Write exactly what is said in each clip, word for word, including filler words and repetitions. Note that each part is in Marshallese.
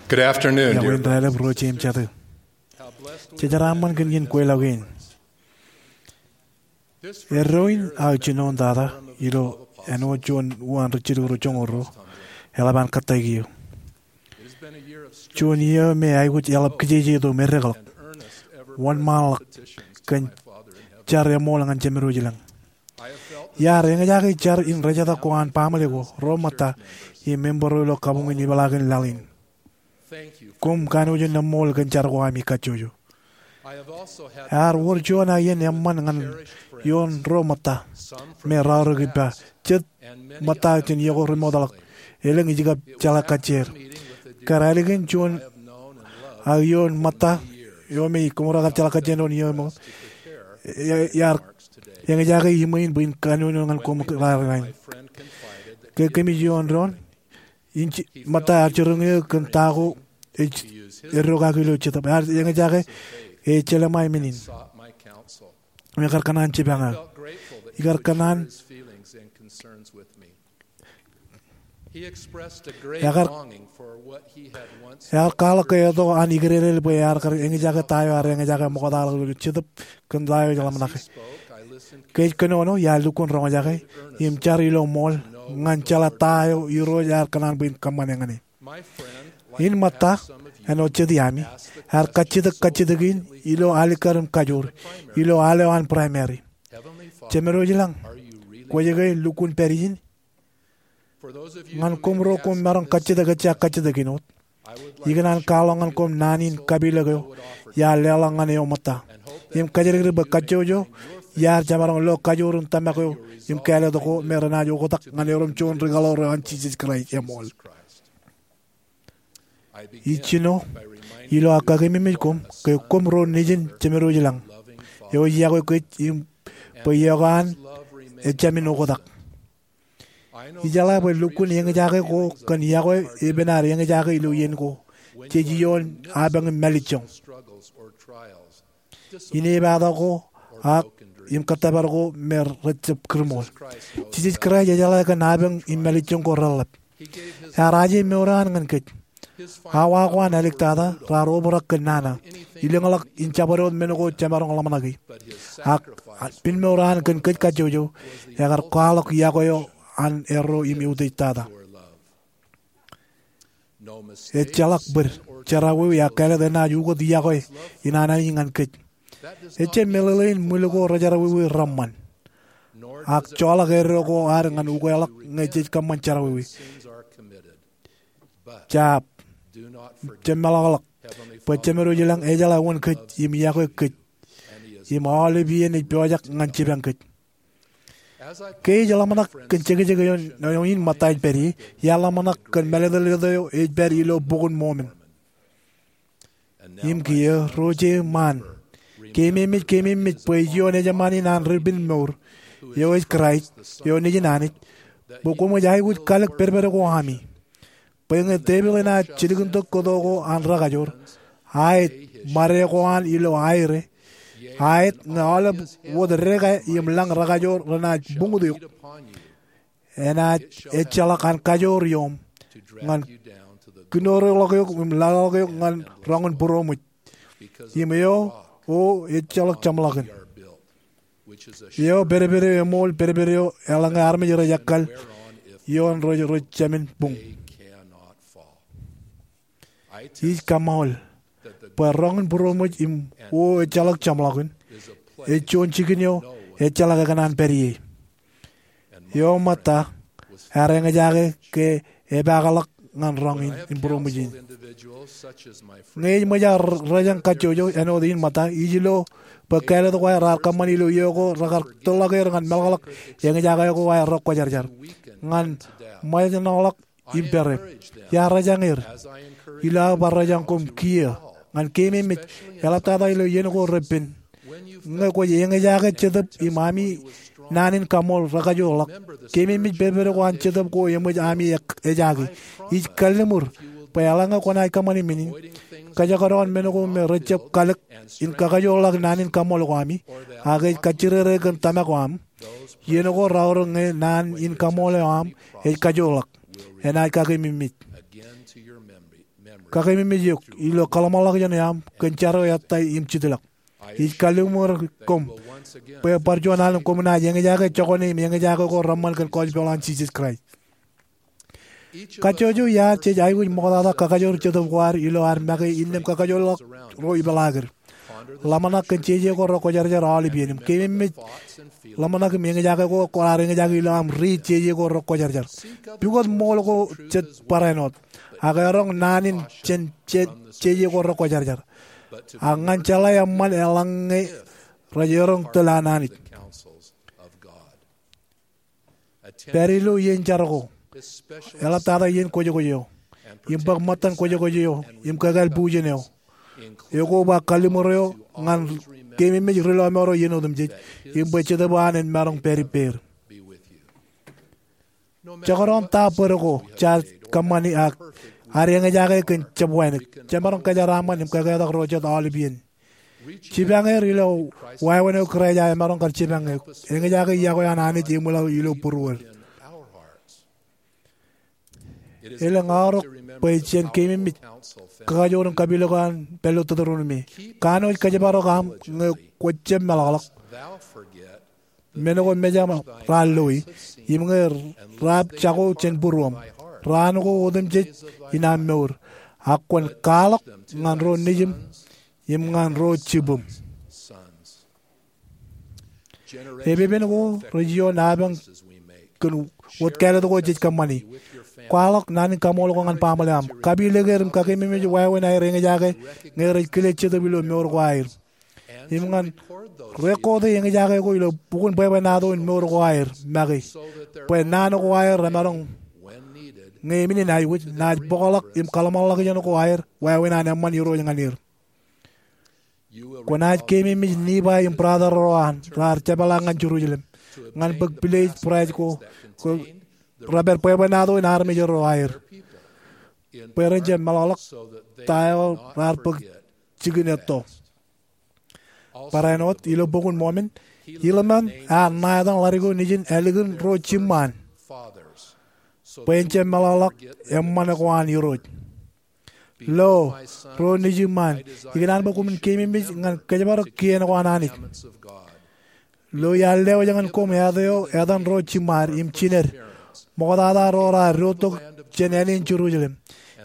Good afternoon, dear friends. Iọkwe in raelep ro jeiū im jatū. Jejeraṃṃan kōn iien kweilọk in. Eddo in aō jinoin tata ilo āinwōt juon uwaan ri jilu ro joñoul ruo eḷap an kōttāik eō. Juon iiō me aikuj eḷap kijeje tok meddekḷọk, wōnṃaanḷọk kōn jar eṃool ñan Jemedwōj ilañ. Iar eñjake jar in rejetak ko an baaṃle ko, ro ṃōtta, im membro ilo kabuñ in ipeḷaakin laḷ in. Koṃ kanooj in eṃool kōn jar ko ami kajjojo. Ear wōr juon aō iien eṃṃan ñan ioon ro ṃōtta me raorōk ippa, jet ṃōtta jān iiō ko remootḷọk, elōñ ij kab jeḷā kajjier. Kar ālikin juon aō iien ṃōtta eo me koṃ ro kar jeḷā kajjier doon iiō ṃōt, iar eñjake iṃwe in bwe in kanooj ñan koṃ raar in. Ke kōmij ioon doon, in ṃōtta ear jiroñ eō kōn ta ko ej eddo kaki ilo Jetōb. Ear eñjake ke ejjeḷọk ṃae men in me kar kōṇaan jipañ eō. Ikar kōṇaan Ear kwaḷọk ke eto an ikdedel bwe ear kar eñjake ta eo ear eñjake ṃoktaḷọk ilo Jetōb kōn ta eo ej ḷōmṇake. Ke ij kōnono, iar lukkuun roñjake im jar ilo ṃool ñan jeḷā ta eo Irooj ear kōṇaan bwe in kōṃṃane ñan e. In ṃōtta, āinwōt jet iaami, ear kajjitōk kajjitōk in ilo alikkar im kajoor ilo al eo an primary. Jemedwōj ilañ, kwōj ke lukkuun pād ijin? Ñan koṃ ro koṃ maroñ kajjitōk ejja kajjitōk in wōt, ikōṇaan kwaḷọk ñan koṃ naan in kapilōk eo iar leḷọk ñan eō ṃōtta im kajjitōk bwe kajjojo iar jemaroñ lo kajoor in tōmak eo im kāālōt ko me renaaj oktak ñan erom juon ri kaḷoor eo an Jisōs Kraist eṃool. Ij jino ilo aō kakememej koṃ ke koṃ ro nejin Jemedwōj ilañ eo ej yokwe kōj im bwe iọkwe an ejāmin oktak. Ijeḷā bwe lukkuun eñjake ko kōn yokwe epen ad eñjake ilo iien ko jej ioon apañ im mālejjoñ, inepato ko, ak im kōttōpar ko me rejjab kūrṃool. Jisōs Kraist ejeḷā kōn apañ im mālejjoñ ko reḷḷap. Ear aje mour eo an ñan kōj. Awa ko an āliktata raar obrak kōn nana, ilōñḷọk in jabdewōt men ko jemaroñ ḷōmṇaki. Ak pinmour eo an kōn kōj kajjojo ekar kwaḷọk yokwe eo an erro im eutiej tata. Ejjeḷọk bōd, jerọwiwi ak kāālōt enaaj ukōt yokwe in an Anij ñan kōj. Ejjab meḷeḷein ṃwil ko rejerọwiwi reṃṃan, ak joḷọk eddo ko ad ñan ukeḷọk ñe jej kōṃṃan jerọwiwi. Jab, jab meḷọkḷọk bwe Jemedwōj ilañ ejeḷā wōn kōj im yokwe kōj, im aolep iien ej pojak ñan jipañ kōj. Ke ij ḷōmṇak kōn jekjek eo in ṃōtta ej pād ie, iar ḷōmṇak kōn mālōtlōt eo ej pād ilo Bok in Mormon. Im kiiō, ro jeiū ṃaan, keememej, keememej bwe ij ioon ejṃaan in an Ri-pinmour, eo ej Kraist, eo nejin Anij, bwe koṃij aikuj kalōk pedped ko ami, bwe ñe tepil enaaj jilkintok kōto ko an rekajoor, aet ṃade ko an ilo aer e, aet ñe aolep wōt deka im lañ rekajoor renaaj buñut eok, enaaj ejjeḷọk an kajoor ioṃ ñan kinoorḷọk eok im laḷḷọk eok ñan roñ in būroṃōj. Im eo, o ejjeḷọk jeṃḷọkin. Eo pedped eo eṃool, pedped eo eḷaññe armej rej ekkal ioon rej, rej jāmin buñ. Ij kaṃṃool bwe roñ in būroṃōj im o ejjeḷọk jeṃḷọkin ej juon jikin eo ejjeḷọk ekōṇaan pād ie. Eo ṃōtta ear eñjake ke epaakḷọk ñan roñ in būroṃōj in. Ñe ij ṃōj aō rejañ kajjojo āinwōt in ṃōtta, ij lo bwe kāālōt ko aer raar kōṃṃan ilo iiō ko rekar tōrḷọk er ñan meḷọkḷọk eñjake ko aer rekwōjarjar ñan ṃōjṇọḷọk im pere. Iar rejañ er ilo aō bar rejañ koṃ kiiō ñan keememej, eḷaptata ilo iien ko repen, ñe kwōj eñjake Jetōb im ami naan in kaṃool rekajoorḷọk, keememej pedped ko an Jetōb ko eṃōj ami ejaki. Ij kalliṃur bwe eḷaññe kwōnaaj kōṃṃani men in, kōjekdọọn men ko me rejjab kalōk in kakajoorḷọk naan in kaṃool ko ami, ak ej kajjirere kōn tōmak eo aṃ, iien ko raorōk ñe naan in kaṃool eo aṃ ej kajoorḷọk, enaaj kakememej. Kakeememej eok ilo kōḷmānḷọkjeṇ eo aṃ kōn jar eo ettā im jitḷọk. Ij kalliṃur koṃ bwe bar juon alen koṃ naaj eñjake jokwane im eñjake ko reṃṃan kōn gospel an Jisōs Kraist. Kajjojo iaad jej aikuj ṃoktata kakajoor jetōb ko ad ilo ad make innām kakajoorḷọk ro ipeḷaakid. Ḷōmṇak kōn jeje ko rekwōjarjar aolep iien im keememej ḷōmṇak im eñjake ko raar eñjake ilo aṃ riit jeje ko rekwōjarjar. Pukot ṃool ko jet barāinwōt, ak eroñ naan in jān jeje ko rekwōjarjar, ak ñan jeḷā eṃṃan eḷaññe rej eroñ tōl an Anij. Pād ilo iien jar ko, eḷaptata iien kwōjkwōj eo, im bōk ṃōttan kwōjkwōj eo im kōkāāl bujen eo. Ekoba kalliṃur eo ñan keememej ri lọmọọr eo iien otemjej, im bwe Jetōb eo an en maroñ pād ippāer. Jekdọọn ta bōd ko jaar kōṃṃani ak ad eñjake kōn jab wānōk, jemaroñ kōjeraaṃṃan im kōketak ro jet aolep iien. Jipañ er ilo wāween eo Kraist eo emaroñ kar jipañ eok. Eñjake iọkwe an Anij eṃwilaḷ ilo būruod. Elōñ aorōk bwe jen keememej kakajoor in kapilōk eo an pād ilo Teuteronomi. Kanooj kōjparok aṃ ñe kwōj jab meḷọkḷọk men ko mejaṃ raar loi, im ñe raab jako jān būruōṃ, raan ko otemjej in aṃ mour, ak kwōn kwaḷọk ñan ro nejiṃ im ñan ro jibūṃ. Epepen ko rej ioon apañ kōn wōt kāālōt ko jej kōṃṃani. Kwaḷọk naan in kaṃool ko ñan baaṃle eo aṃ. Kapilōk er im kakeememej wāween aer eñjake ñe rej kile Jetōb ilo mour ko aer. Im ñan rekooti eñjake ko ilo bukun bwebwenato in mour ko aer make, bwe naan ko aer remaroñ, ñe men in aikuj, naaj bōkḷọk im kōḷmānḷọkjeṇ ko aer wāween an eṃṃan Irooj ñan er. Kwōnaaj keememej Nifai im brother ro an raar jepḷaak ñan Jerusalem ñan bōk pilej būraij ko, ko repād bwebwenato in armej ro aer, bwe ren jab meḷọkḷọk ta eo raar bōk jikin etto. Barāinwōt ilo Bok in Mormon, Hileman ear ṇa etan ḷadik eo nejin ālikin ro jiṃṃaan bwe en jab meḷọkḷọk eṃṃan ko an Irooj. Lo, ro nejiṃṃaan, ikōṇaan bwe koṃwin keememej ñan kōjparok kien ko an Anij. Lo iar lewōj ñan koṃ āt eo etan ro jiṃṃaad im jined, ṃoktata ro raar dotok jān āne in Jerusalem.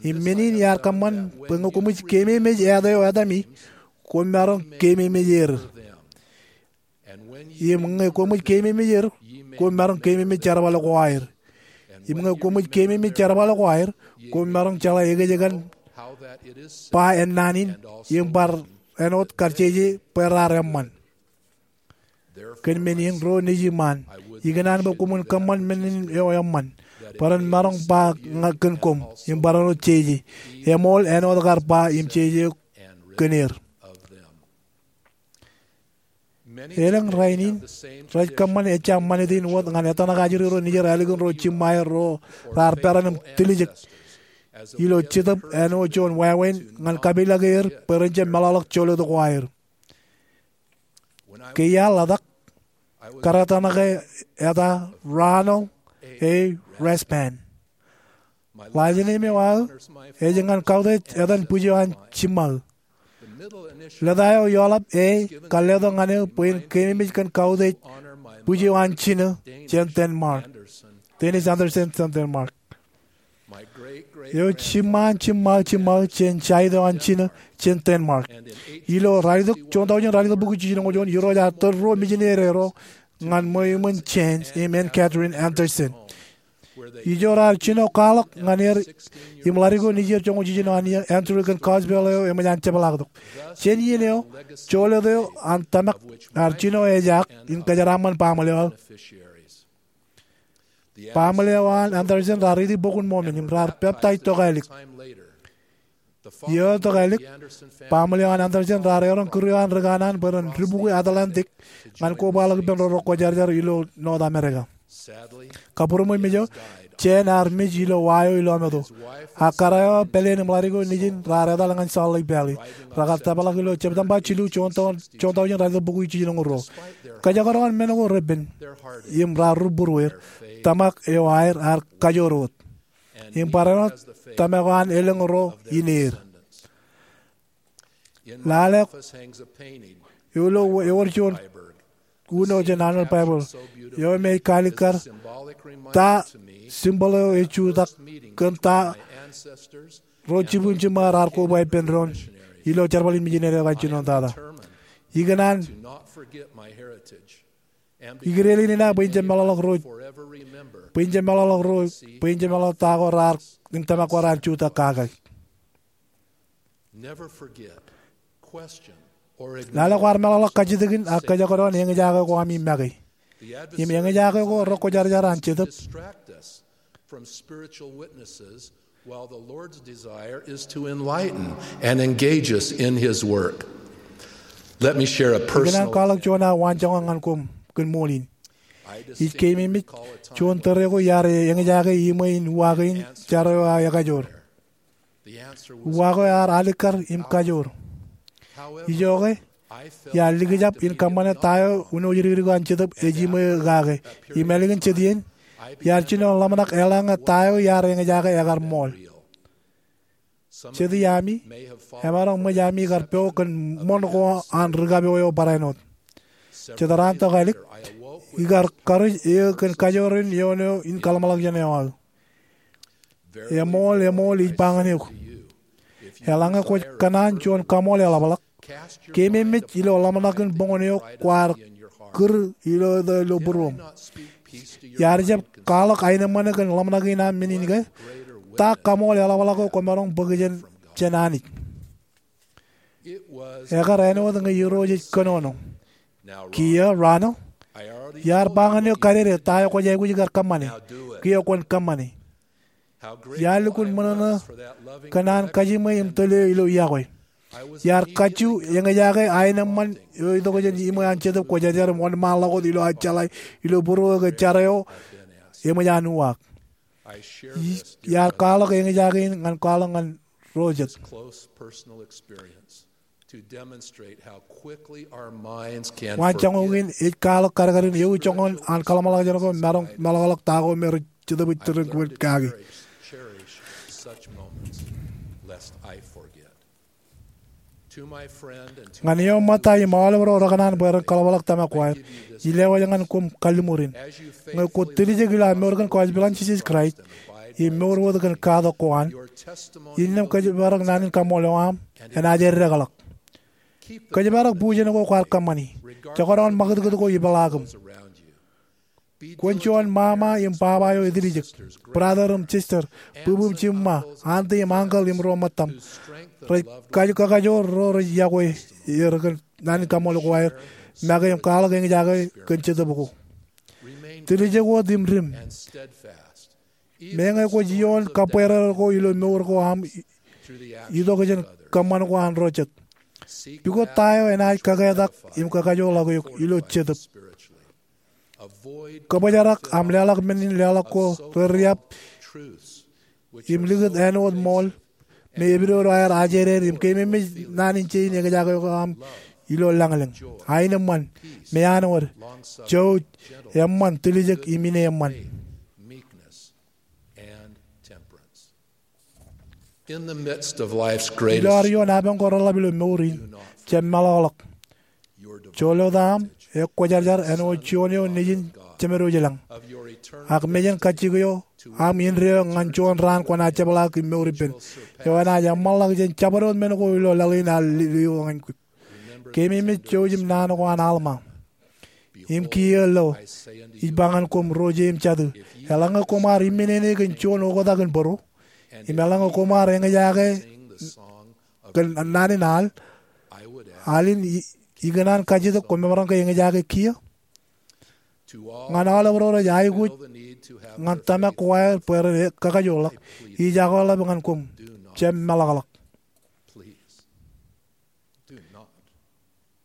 Im men in iar kōṃṃan bwe ñe koṃij keememej āt eo etaṃ i, koṃ maroñ keememej er. Im ñe koṃij keememej er, koṃ maroñ keememej jerbal ko aer. Im ñe koṃij keememej jerbal ko aer, koṃ maroñ jeḷā ekejekan ba ennaan in, im bar āinwōt kar jeje bwe raar eṃṃan. Kōn men in, ro nejiṃṃaan, ikōṇaan bwe koṃwin kōṃṃan men in eo eṃṃan, bwe ren maroñ ba ñan kōn koṃ, im bar āinwōt jeje, eṃool āinwōt kar ba im jeje kōn er. Elōñ rainin rej kōṃṃan ejja ṃanit in wōt ñan etōṇak ajri ro nejier ālikin ro jiṃṃae ro raar peran im tiljek ilo Jetōb āinwōt juon wāween ñan kapilōk er bwe ren jab meḷọkḷọk jolōt ko aer. Ke iar ḷotak, kōrā etōṇake eta Ronald A. Rasband. Last name eo aō ej ñan kautiej etan bwij eo an jiṃṃaō. Lōta eo eoḷap A kar letok ñan eō bwe en keememej kōn kautiej bwij eo an jino jān Denmark, Dennis Anderson jān Denmark. Eo jiṃṃaan jiṃṃaō jiṃṃaō jān jaid eo an jino jān Denmark. Ilo ralitōk, juon tọujin ralitōk bukwi jiljino ñoul juon, Irooj ear tōl ruo misineri ro ñan Ṃweo Eṃṃan Jens im Ann Catherine Anderson. Ijo raar jino kwaḷọk ñan er im ḷadik eo nejier joñoul jiljino an Andrew kōn gospel eo eṃōj an jepḷaaktok. Jān iien eo, jolōt eo an tōmak ear jino ejaak in kōjeraaṃṃan baaṃle eo aō. Baaṃle eo an Anderson raar riiti Bok in Mormon im raar peptaij tokālik. Iiō tokālik, baaṃle eo an Anderson raar eroñ kūr eo an ri kanaan bwe ren dibukwi Atlantic ñan kobaḷọk ippān ro rekwōjarjar ilo North America. Kabūroṃōj ijo, Jens ear mej ilo wa eo ilọmeto. Ak kōrā eo, pāleen im ḷadik eo nejin raar etal ñan Salt Lake Valley. Rekar tōprak ilo September jilu, juon tọ-, juon tọujin ralitōk bukwi jiljino ñoul ruo. Kōjekdọọn men ko repen im raar rubūruer, tōmak eo aer ear kajoor wōt. im barāinwōt tōmak eo an elōñ ro in er. Lale eo ilo ewōr juon uno jān Annual Bible eo me ej kaalikkar ta symbol eo ej jutak kōn ta ro jibwin jiṃṃa raar koba ippān doon ilo jerbal in mijineri eo an jinoin tata. Ikōṇaan ikdein in aō bwe in jab meḷọkḷọk ro, bwe in jab meḷọkḷọk ro, bwe in jab meḷọkḷọk ta ko raar, in tōmak ko raar jutak kake. Lale kwaar meḷọkḷọk kajjitōkin ak kōjekdọọn eñjake ko ami make. Im eñjake ko rekwōjarjar an Jetōb. From spiritual witnesses, while the Lord's desire is to enlighten and engage us in His work. Let me share a personal. Ikōṇaan kwaḷọk juon aō waanjoñak ñan koṃ kōn ṃool in. Ij keememej juon tōre ko iar eñjake iṃwe in uwaak in jar eo aō ekajoor. Uwaak eo ear alikkar im kajoor. Ijoke, iar likjab in kōṃṃane ta eo wūnooj dikdik eo an Jetōb ej iṃwe kake. Im ālikin jet iien, iar jino ḷōmṇak eḷaññe ta eo iar eñjake ekar ṃool. Jet iami, emaroñ ṃōj ami kar po kōn ṃoṇ ko an ri kapo eo barāinwōt. Jet raan tokālik, ikar karuj eō kōn kajoor in eoon eo in kaḷōmṇak jān eo aō. Eṃool, eṃool, ij ba ñan eok, eḷaññe kwōj kōṇaan juon kaṃool eḷapḷọk, keememej ilo ḷōmṇakin boñōn eo kwaar kūr ilo, ilo būruōṃ. Iar jab kwaḷọk aenōṃṃan kōn ḷōmṇak in aṃ men in ke, ta kaṃool eḷapḷọk eo kwōmaroñ bōk jān, jān Anij? Ekar āinwōt ñe Irooj ej kōnono. Kiiō, Ronald, iar ba ñan eok kadede ta eo kwōj aikuj kar kōṃṃane. Kiiō kwōn kōṃṃane. Iar lukkuun ṃōṇōṇō kōn an kajiṃwe im tōl eō ilo iọkwe. Iar kajju eñjake aenōṃṃan eo itok jān iṃwe an Jetōb Kwōjarjar im wōnṃaanḷọk wōt ilo aō jeḷā ilo būruō ke jar eo eṃōj an uwaak. Iar kwaḷọk eñjake in ñan kwaḷọk ñan ro jet. Waanjoñak in ej kwaḷọk kadkadin ewi joñan an kaḷōmṇak jān ko maroñ meḷọkḷọk ta ko me rej Jetōb ej tōre kake. Ñan eō ṃōtta im aolep ro rekōṇaan bwe ren kaḷapḷọk tōmak ko aer, ij lewōj ñan koṃ kalliṃur in. Ñe kwōj tiljek ilo aṃ mour kōn gospel an Jisōs Kraist im mour wōt kōn katak ko an, innām kōjparok naan in kaṃṃoolol eo aṃ enaaj eddekḷọk. Kōjparok bujen ko kwaar kōṃṃani, jekdọọn ṃakūtkūt ko ipeḷaakiṃ. Kwōn juon ṃaṃa im baba eo etiljek, brother im sister, bwibwi im jiṃṃa, auntie im uncle im ro ṃōttaṃ, rej kakajoor ro rej iọkwe er kōn naan in kaṃṃoolol ko aer, make im kwaḷọk eñjake kōn Jetōb ko. Tiljek wōt im dim. Meñe kwōj ioon kabweerar ko ilo mour ko aṃ itok jān kōṃṃan ko an ro jet, pukot ta eo enaaj kaketak im kakajoorḷọk eok ilo Jetōb. Kōbōjrak aṃ leḷọk men in leḷọk ko reriab im likūt āinwōt ṃool me epidodo aer ajeder im keememej naan in jein eñjake ko aṃ ilo lañlōñ. Aenōṃṃan, meanwōd, jouj, eṃṃan, tiljek im ineeṃṃan. Ilo ad ioon apañ ko reḷap ilo mour in, jab meḷọkḷọk. Joḷọk aṃ ekwōjarjar āinwōt juon eo nejin jemed eo ilañ, ak mejān kajjik eo aṃ indeeo ñan juon raan kwōnaaj jepḷaak im mour ippān, eo enaaj eṃṃanḷọk jān jabdewōt men ko ilo laḷ in ear lio ñan kwe. Keememej jouj im naan ko an Alma. Im kiiō lo, ij ba ñan koṃ ro je im jatū, eḷaññe koṃ ar imminene kōn juon oktak in bōro, im eḷaññe koṃ ar eñjake kōn naan in al, al in, ikōṇaan kajjitōk koṃ maroñ ke eñjake kiiō? Ñan aolep ro rej aikuj ñan tōmak ko aer bwe ren kakajoorḷọk, ij akweḷap ñan koṃ, jab meḷọkḷọk.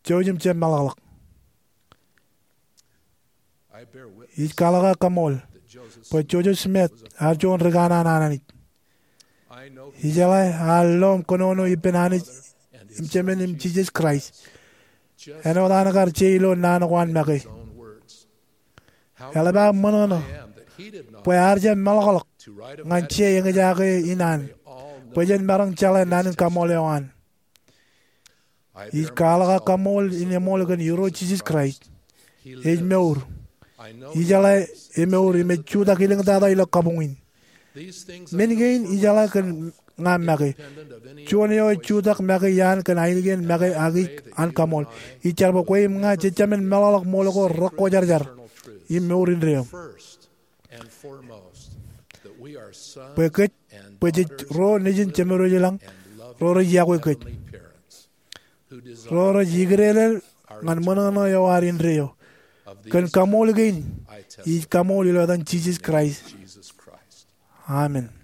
Jouj im jab meḷọkḷọk. Ij kwaḷọk aō kaṃool bwe Joseph Smith ear juon rikanaan an Anij. Ijeḷā ear lo im kōnono ippān Anij im Jemān im Jisōs Kraist āinwōt an kar je ilo naan ko an make. Eḷap aō ṃōṇōṇō bwe ear jab meḷọkḷọk ñan je eñjake in an, bwe jen maroñ jeḷā naan in kaṃool eo an. Ij kwaḷọk aō kaṃool in eṃool kōn Irooj Jisōs Kraist. Ej mour. Ijeḷā emour im ej jutak iliñtata ilo kabuñ in. Men kein ijeḷā kōn ña make. Juon eo ej jutak make iaan kōn ainikien make ak ij an kaṃool. Ij jar bwe kwe im ña jejāmin meḷọkḷọk ṃool ko rekwōjarjar im mour indeeo. Bwe kōj, bwe jej ro nejin Jemedwōj ilañ, ro rej iọkwe kōj, ro rej ikdeḷọk ñan ṃōṇōṇō eo ad indeeo. Kōn kaṃool kein ij kaṃool ilo etan Jisōs Kraist, amen.